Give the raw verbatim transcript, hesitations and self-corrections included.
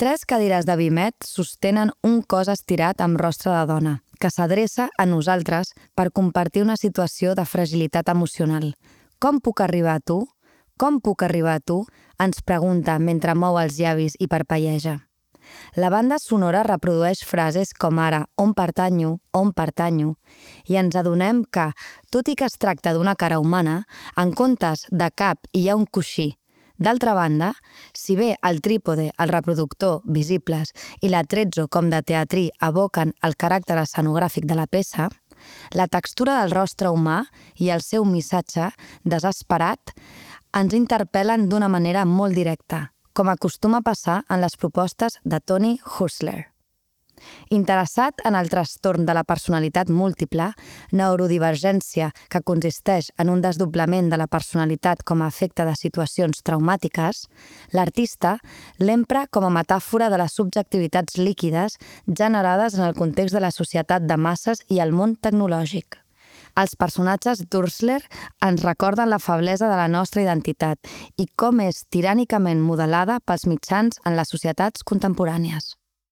Tres cadires de Vimet sostenen un cos estirat amb rostre de dona, que s'adreça a nosaltres per compartir una situació de fragilitat emocional. Com puc arribar a tu? Com puc arribar a tu? Ens pregunta mentre mou els llavis i parpelleja. La banda sonora reprodueix frases com ara «on pertanyo», «on pertanyo», i ens adonem que, tot i que es tracta d'una cara humana, en comptes de cap hi ha un coixí. D'altra banda, si bé el trípode, el reproductor, visibles i l'atrezzo com de teatrí evoquen el caràcter escenogràfic de la peça, la textura del rostre humà i el seu missatge, desesperat, ens interpel·len d'una manera molt directa, com acostuma a passar en les propostes de Tony Hustler. Interessat en el trastorn de la personalitat múltiple, neurodivergència que consisteix en un desdoblament de la personalitat com a efecte de situacions traumàtiques, l'artista l'empra com a metàfora de les subjectivitats líquides generades en el context de la societat de masses i el món tecnològic. Els personatges d'Hustler ens recorden la feblesa de la nostra identitat i com és tirànicament modelada pels mitjans en les societats contemporànies.